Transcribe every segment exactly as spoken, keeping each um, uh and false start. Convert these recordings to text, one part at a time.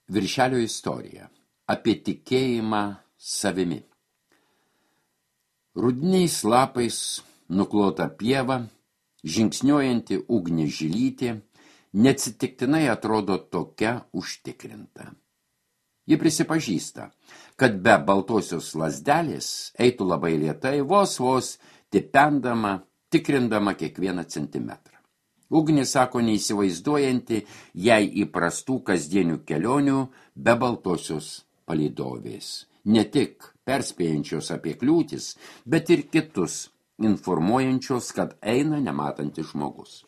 Viršelio istorija. Apie tikėjimą savimi. Rudiniais lapais nuklota pieva, žingsniuojanti ugnį žilytė, neatsitiktinai atrodo tokia užtikrinta. Ji prisipažįsta, kad be baltosios lazdelės eitų labai lėtai, vos vos tipendama, tikrindama kiekvieną centimetrą. Ugnis sako neįsivaizduojanti jai įprastų kasdienių kelionių be baltosios palydovės. Ne tik perspėjančios apie kliūtis, bet ir kitus informuojančios, kad eina nematantis žmogus.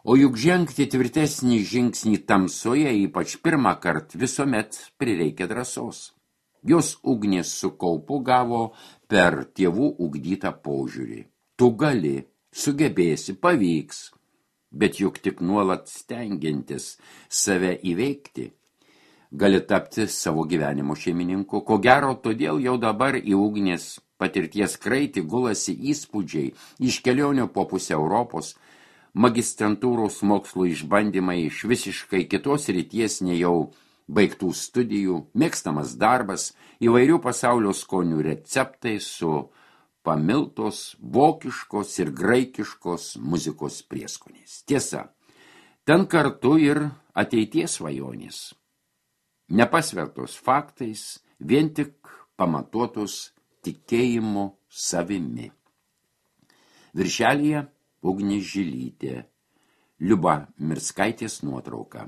O juk žengti tvirtesnį žingsnį tamsoje, ypač pirmą kartą, visuomet prireikia drąsos. Jos ugnis su kaupu gavo per tėvų ugdytą požiūrį. Tu gali, sugebėsi, pavyks. Bet juk tik nuolat stengiantis save įveikti, gali tapti savo gyvenimo šeimininku. Ko gero, todėl jau dabar į ugnės patirties kraitį gulasi įspūdžiai iš kelionių po pusę Europos, magistrantūros mokslų išbandymai iš visiškai kitos ryties nei jau baigtų studijų, mėgstamas darbas, įvairių pasaulio skonių receptai su pamiltos vokiškos ir graikiškos muzikos prieskoniais. Tiesa, ten kartu ir ateities svajonės. Nepasvertos faktais, vien tik pamatuotos tikėjimu savimi. Viršelyje Ugnis Žilytė, Liuba Mirskaitės nuotrauka.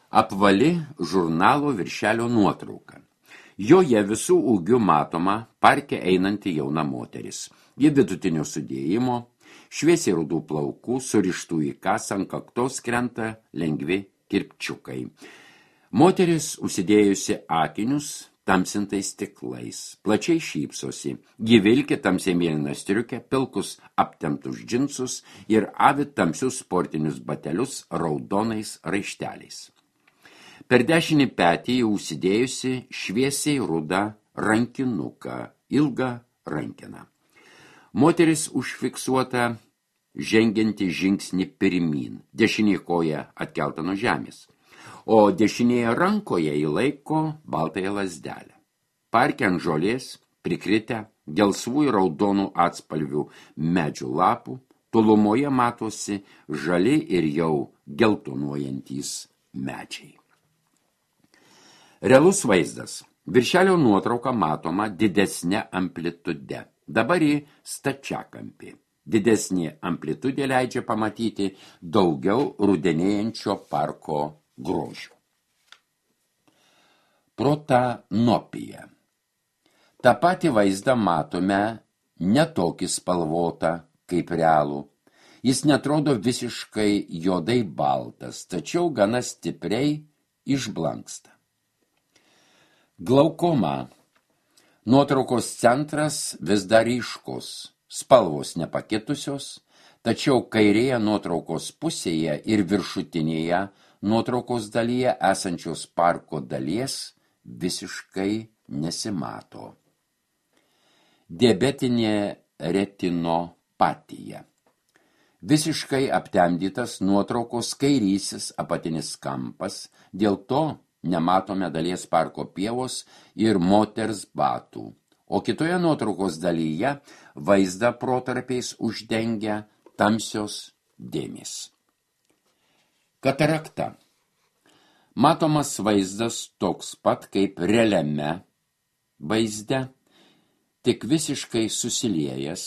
Apvali žurnalo viršelio nuotrauka. Joje visų ūgių matoma parke einanti jauna moteris. Ji vidutinio sudėjimo, šviesiai rudų plaukų, surištų į kasą, ant kaktos krenta lengvi kirpčiukai. Moteris užsidėjusi akinius tamsintais stiklais, plačiai šypsosi. Ji vilki tamsiai mėlyną striukę, pilkus aptemptus džinsus ir avi tamsius sportinius batelius raudonais raišteliais. Per dešinį petį užsidėjusi šviesiai rudą rankinuką, ilgą rankeną. Moteris užfiksuota žengianti žingsnį pirmyn, dešinė koja atkelta nuo žemės, o dešinėje rankoje įlaiko baltąją lazdelę. Parke ant žolės prikritę gelsvų ir raudonų atspalvių medžių lapų, tolumoje matosi žali ir jau geltonuojantys medžiai. Realus vaizdas. Viršelio nuotrauka matoma didesnė amplitude. Dabar į stačiakampį. Didesnė amplitudė leidžia pamatyti daugiau rudenėjančio parko grožių. Protanopija. Ta patį vaizdą matome ne tokį spalvotą kaip realų. Jis netrodo visiškai juodai baltas, tačiau gana stipriai išblanksta. Glaukoma. Nuotraukos centras vis dar ryškus, spalvos nepakitusios, tačiau kairėje nuotraukos pusėje ir viršutinėje nuotraukos dalyje esančios parko dalies visiškai nesimato. Diabetinė retinopatija. Visiškai aptemdytas nuotraukos kairysis apatinis kampas, dėl to nematome dalies parko pievos ir moters batų, o kitoje nuotraukos dalyje vaizdą protarpiais uždengia tamsios dėmės. Katarakta. Matomas vaizdas toks pat kaip realiame vaizde, tik visiškai susiliejęs,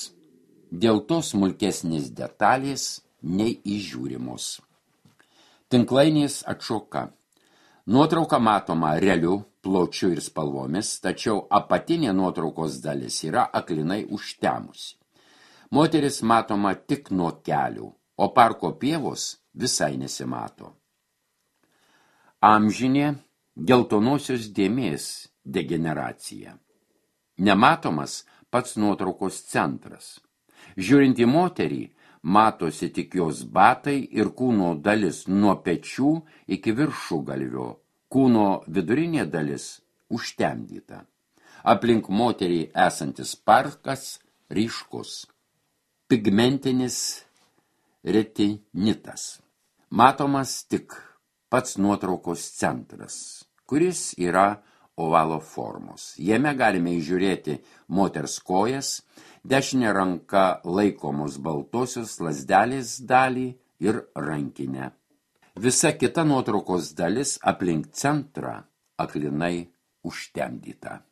dėl to smulkesnės detalės neįžiūrimos. Tinklainės atšoka. Nuotrauka matoma realiu, pločiu ir spalvomis, tačiau apatinė nuotraukos dalis yra aklinai užtemusi. Moteris matoma tik nuo kelių, o parko pievos visai nesimato. Amžinė geltonosios dėmės degeneracija. Nematomas pats nuotraukos centras. Žiūrint į moterį, matosi tik jos batai ir kūno dalis nuo pečių iki viršugalvio, kūno vidurinė dalis užtemdyta. Aplink moterį esantis parkas ryškus. Pigmentinis retinitas. Matomas tik pats nuotraukos centras, kuris yra ovalo formos. Jame galime įžiūrėti moters kojas, dešinė ranka laikomos baltosios lazdelės dalį ir rankinę. Visa kita nuotraukos dalis aplink centrą aklinai užtemdyta.